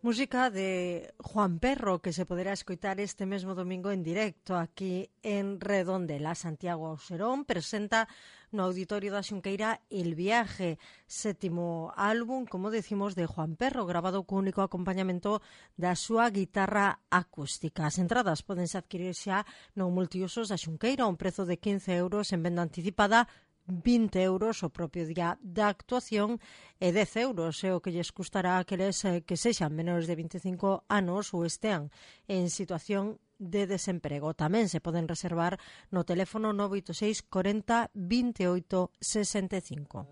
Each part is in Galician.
Música de Juan Perro, que se poderá escoitar este mesmo domingo en directo aquí en Redondela. Santiago Auserón presenta no Auditorio da Xunqueira El Viaje, sétimo álbum, como decimos, de Juan Perro, grabado co único acompañamento da súa guitarra acústica. As entradas podense adquirir xa no Multiusos da Xunqueira, a un prezo de 15 euros en venda anticipada, 20 euros o propio día da actuación e 10 euros é o que lles custará a aqueles que sexan menores de 25 anos ou estean en situación de desemprego. Tamén se poden reservar no teléfono 986 40 28 65.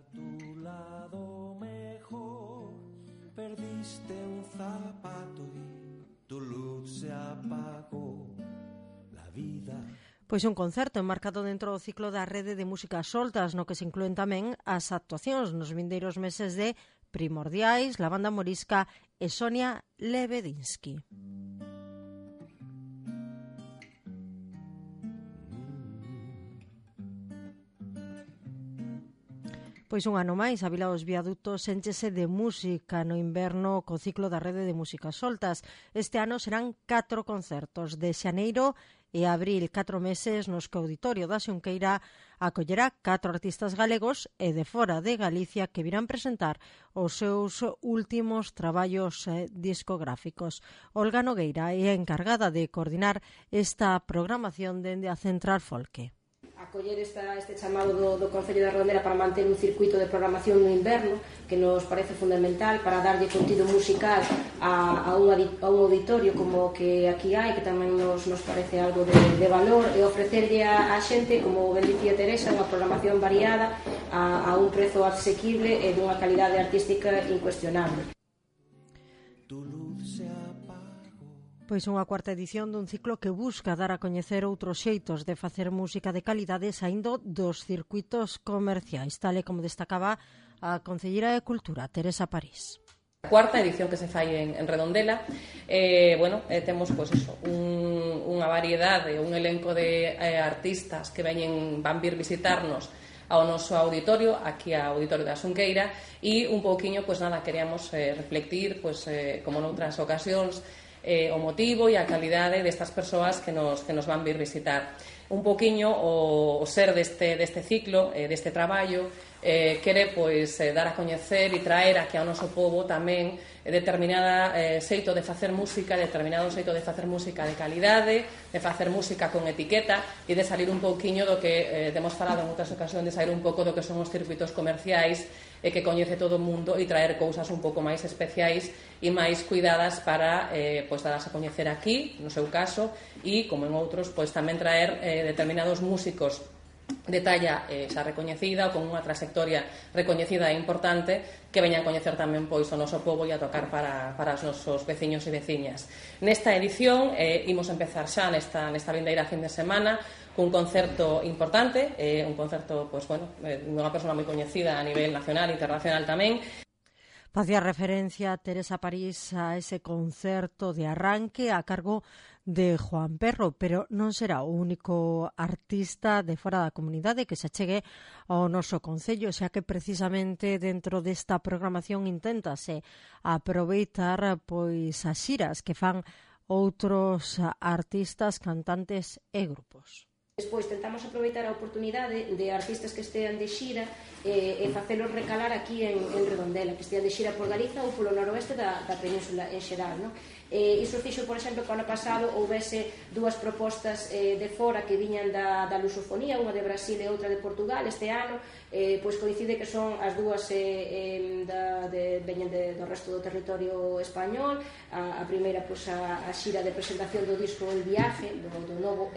Perdiste un zapato y tu luz se apagó, la vida. Pois un concerto enmarcado dentro do ciclo da Rede de Músicas Soltas, no que se inclúen tamén as actuacións nos vindeiros meses de Primordiais, La Banda Morisca e Sonia Lebedinsky. Pois un ano máis, a Vila dos Viadutos enchese de música no inverno co ciclo da Rede de Músicas Soltas. Este ano serán 4 concertos de xaneiro e abril, 4 meses nos que o Auditorio da Xunqueira acollerá 4 artistas galegos e de fora de Galicia que virán presentar os seus últimos traballos discográficos. Olga Nogueira é a encargada de coordinar esta programación dende a Central Folque. Acoller este chamado do Concello da Redondela para manter un circuito de programación no inverno que nos parece fundamental para darlle contido musical a un auditorio como que aquí hai, que tamén nos parece algo de valor, e ofrecerlle a xente, como ben dicía Teresa, unha programación variada a un prezo asequible e dunha calidade artística incuestionable. Pois unha cuarta edición dun ciclo que busca dar a coñecer outros xeitos de facer música de calidade saindo dos circuitos comerciais, tal e como destacaba a Concelleira de Cultura, Teresa París. A cuarta edición que se fai en Redondela, temos unha variedade, un elenco de artistas que van vir visitarnos ao noso auditorio, aquí ao Auditorio da Xunqueira, e un pouquiño, queríamos reflectir, como noutras ocasións, o motivo e a calidade destas persoas que nos van vir visitar. Un poquinho o ser deste ciclo, deste traballo, quere dar a coñecer e traer aquí ao noso povo tamén determinada xeito de facer música, determinado xeito de facer música de calidade, de facer música con etiqueta e de salir un pouquiño do que temos falado en outras ocasións, de sair un pouco do que son os circuitos comerciais e que coñece todo o mundo e traer cousas un pouco máis especiais e máis cuidadas para darlas a coñecer aquí, no seu caso, e, como en outros, tamén traer determinados músicos de talla xa recoñecida ou con unha trayectoria recoñecida e importante que veñan a coñecer tamén o noso pobo e a tocar para os nosos veciños e veciñas. Nesta edición imos empezar xa nesta vindeira fin de semana cun concerto importante, un concerto dunha persona moi coñecida a nivel nacional e internacional tamén. Facía referencia Teresa París a ese concerto de arranque a cargo de Juan Perro, pero non será o único artista de fora da comunidade que se achegue ao noso concello, xa que precisamente dentro desta programación inténtase aproveitar as xiras que fan outros artistas, cantantes e grupos. Despois tentamos aproveitar a oportunidade de artistas que estean de xira e facelos recalar aquí en Redondela, que estean de xira por Galiza ou polo noroeste da península en xeral, non? Iso fixo, por exemplo, que o ano pasado houvese 2 propostas de fora que viñan da lusofonía, unha de Brasil e outra de Portugal. Este ano coincide que son as dúas veñen do resto do territorio español. A primeira a xira de presentación do disco El Viaje, do novo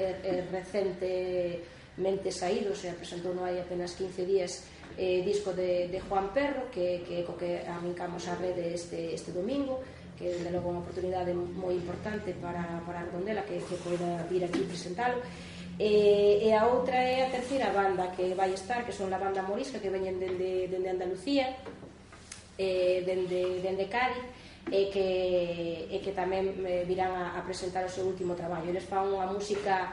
recentemente saído, se presentou hai apenas 15 días, disco de Juan Perro, que co que arrancamos a rede este domingo, que é logo unha oportunidade moi importante para Redondela que poida vir aquí presentalo. E a outra é a terceira banda que vai estar, que son a Banda Morisca, que veñen dende Andalucía, dende Cádiz, e que tamén virán a presentar o seu último traballo. Eles fan unha música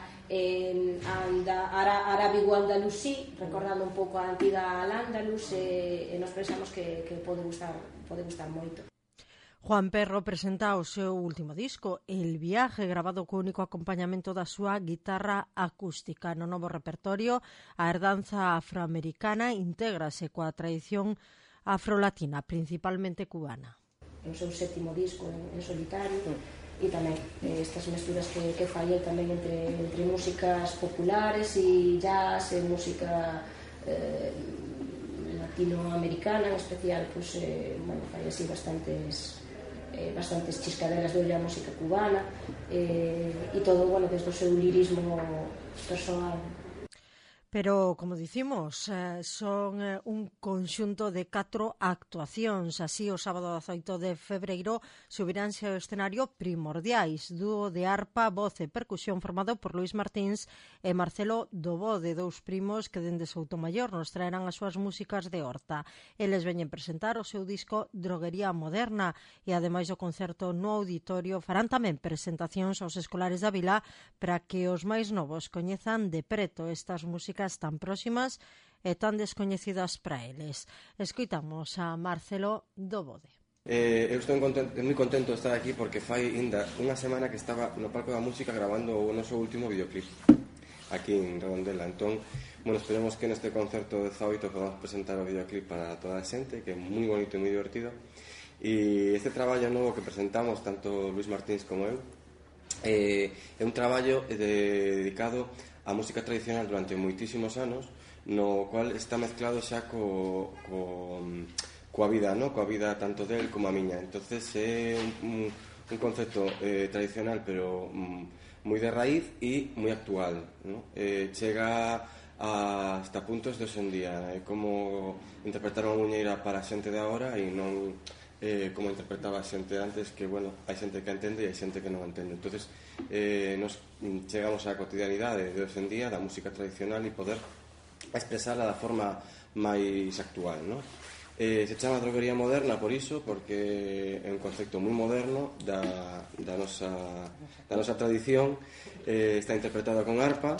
Arábigo Andalusí, recordando un pouco a antiga Al-Ándalus, e nos pensamos que pode gustar moito. Juan Perro presenta o seu último disco, El Viaje, grabado co único acompañamento da súa guitarra acústica. No novo repertorio, a herdanza afroamericana intégrase coa tradición afrolatina, principalmente cubana. É o seu sétimo disco en solitario, e tamén estas mesturas que fai el tamén entre músicas populares e jazz e música latinoamericana en especial, pues, fai así bastantes chiscaderas de olla a música cubana, e todo, desde o seu lirismo personal. Pero, como dicimos, son un conxunto de 4 actuacións. Así, o sábado 18 de febreiro subiránse ao escenario Primordiais, dúo de arpa, voz e percusión formado por Luis Martins e Marcelo Dobode, 2 primos que dende Soutomaior nos traerán as súas músicas de Horta. Eles veñen presentar o seu disco Droguería Moderna e, ademais do concerto no auditorio, farán tamén presentacións aos escolares da vila para que os máis novos coñezan de preto estas músicas tan próximas e tan descoñecidas para eles. Escoitamos a Marcelo Dobode. Eu estou moi contento de estar aquí porque fai ainda unha semana que estaba no Palco da Música grabando o noso último videoclip aquí en Redondela. Entón, esperemos que neste concerto de 18 podamos presentar o videoclip para toda a xente, que é moi bonito e moi divertido. E este traballo novo que presentamos, tanto Luis Martins como eu, é un traballo dedicado a música tradicional durante moitísimos anos, no cual está mezclado xa coa vida, no? Coa vida tanto del como a miña. Entonces é un concepto tradicional, pero moi de raíz e moi actual, no? Chega hasta puntos de hoxe en día, como interpretar unha muñeira para a xente de agora e non como interpretaba a xente antes, que, hai xente que entende e hai xente que non entende. Entonces, nos chegamos á cotidianidade de hoxe en día da música tradicional e poder expresala da forma máis actual, no? Se chama Droguería Moderna por iso, porque é un concepto moi moderno da nosa tradición. Está interpretada con arpa,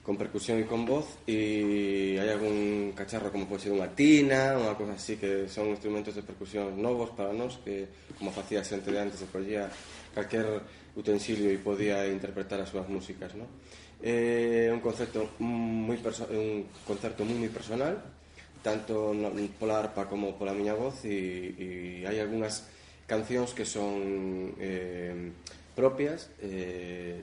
con percusión e con voz, e hai algún cacharro como pode ser unha tina, unha cosa así, que son instrumentos de percusión novos para nós, que como facía a xente de antes, se collía calquer utensilio e podía interpretar as súas músicas, no? É un concerto moi personal, tanto pola arpa como pola miña voz, e hai algunhas cancións que son propias,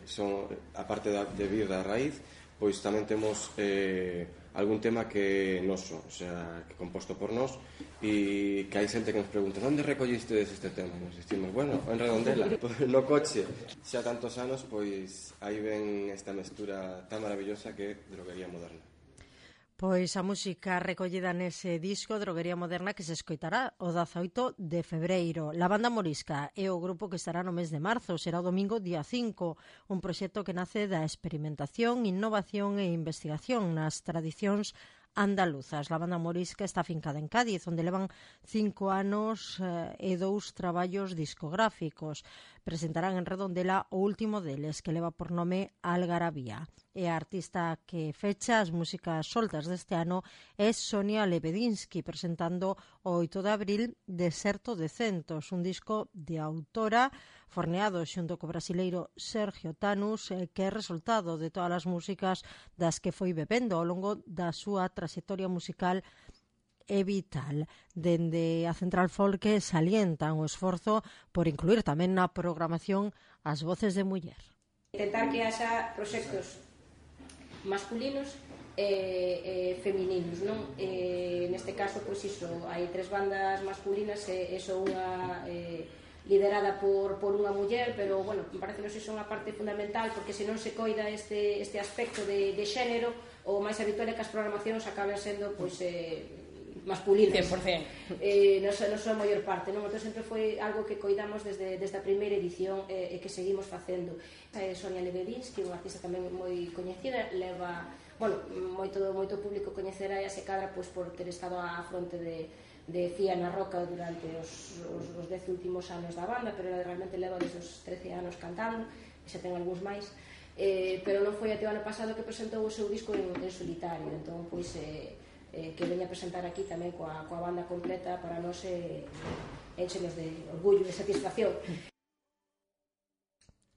son, aparte de vir da raíz, pois tamén temos algún tema que é noso, o sea, que é composto por nós, e que hai xente que nos pregunta: onde recollistedes este tema? Nos dicimos, en Redondela, no coche. Xa tantos anos, pois aí ven esta mestura tan maravillosa que é Droguería Moderna. Pois a música recollida nese disco Droguería Moderna que se escoitará o 18 de febreiro. La Banda Morisca é o grupo que estará no mes de marzo, será o domingo día 5, un proxecto que nace da experimentación, innovación e investigación nas tradicións andaluzas. La Banda Morisca está fincada en Cádiz, onde levan 5 anos e 2 traballos discográficos. Presentarán en Redondela o último deles, que leva por nome Algarabía. E a artista que fecha as músicas soltas deste ano é Sonia Lebedinsky, presentando o 8 de abril Deserto de Centos, un disco de autora forneado xunto co brasileiro Sergio Tanus, que é resultado de todas as músicas das que foi bebendo ao longo da súa trayectoria musical e vital. Dende a Central Folk salientan o esforzo por incluir tamén na programación as voces de muller. Intentar que haxa proxectos masculinos e femininos, non? Neste caso, pois iso, hai 3 bandas masculinas e son unha liderada por unha muller, pero, me parece que iso é unha parte fundamental, porque se non se coida este aspecto de xénero, o máis habitual é que as programacións acaben sendo, masculinas. 100%. Non son a maior parte, non? Entón sempre foi algo que coidamos desde a primeira edición e que seguimos facendo. Sonia Lebedinsky, unha artista tamén moi coñecida, leva, moito público coñecerá e se cadra por ter estado á fronte de Fía na Roca durante os 10 últimos anos da banda, pero ela realmente leva desde os 13 anos cantando, e xa ten algúns máis. pero non foi até o ano pasado que presentou o seu disco en solitario, entón pois que veña a presentar aquí tamén coa banda completa para nós énchenos de orgullo e satisfacción.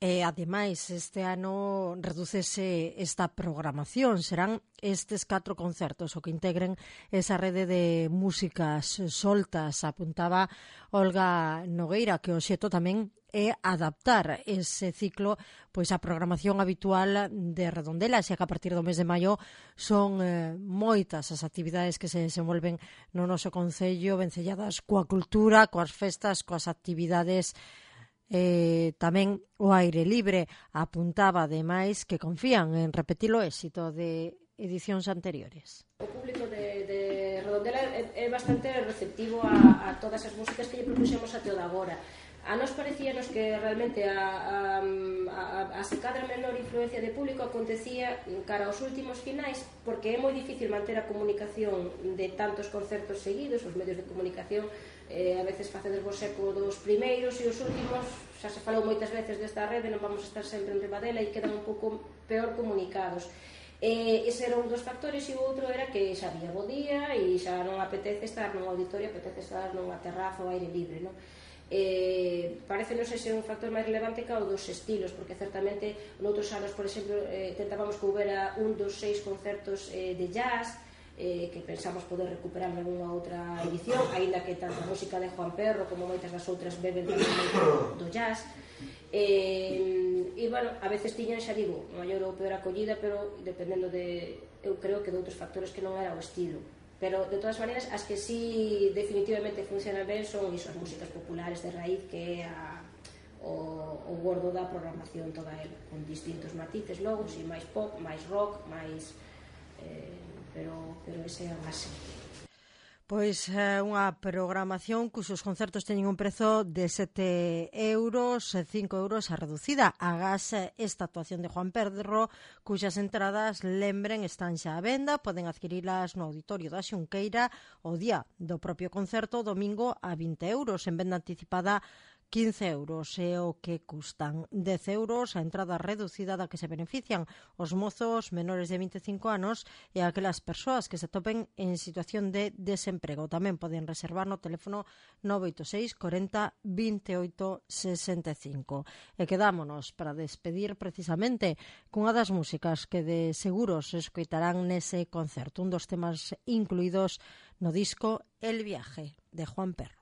E, ademais, este ano redúcese esta programación. Serán estes 4 concertos o que integren esa rede de músicas soltas. Apuntaba Olga Nogueira que o xeto tamén é adaptar ese ciclo pois a programación habitual de Redondela, xa que a partir do mes de maio son moitas as actividades que se desenvolven no noso concello, vencelladas coa cultura, coas festas, coas actividades tamén o aire libre. Apuntaba ademais que confían en repetir o éxito de edicións anteriores. O público de Redondela é bastante receptivo a todas as músicas que lle propuxemos até o de agora. A nos parecíanos que realmente a secadra menor influencia de público acontecía cara aos últimos finais, porque é moi difícil manter a comunicación de tantos concertos seguidos. Os medios de comunicación a veces facedes vos eco dos primeiros e os últimos, xa se falou moitas veces desta rede, non vamos estar sempre en riba dela e quedan un pouco peor comunicados. Ese era un dos factores, e o outro era que xa había bo día e xa non apetece estar nun auditorio, apetece estar nunha terraza ao aire libre, non? Parecenos ese un factor máis relevante que o dos estilos, porque certamente noutros anos, por exemplo, tentábamos que houbera un dos 6 concertos de jazz, que pensamos poder recuperar en unha outra edición, aínda que tanto a música de Juan Perro como moitas das outras beben do jazz. E, bueno, a veces tiñan, xa digo, maior ou peor acollida, pero dependendo de, eu creo que de outros factores que non era o estilo. Pero, de todas maneiras, as que sí definitivamente funcionan ben son iso, as músicas populares de raíz, que é o gordo da programación toda ela, con distintos matices logo, si máis pop, máis rock, máis... pero ese é a base. Pois unha programación cuxos concertos teñen un prezo de 7 euros, 5 euros a reducida. Agás esta actuación de Juan Perro, cuxas entradas, lembren, están xa á venda, poden adquirilas no auditorio da Xunqueira o día do propio concerto, domingo a 20 euros, en venda anticipada 15 euros é o que custan. 10 euros a entrada reducida da que se benefician os mozos menores de 25 anos e aquelas persoas que se topen en situación de desemprego. Tamén poden reservar no teléfono 986 40 28 65. E quedámonos para despedir precisamente cunha das músicas que de seguros escoitarán nese concerto, un dos temas incluídos no disco El Viaje, de Juan Perro.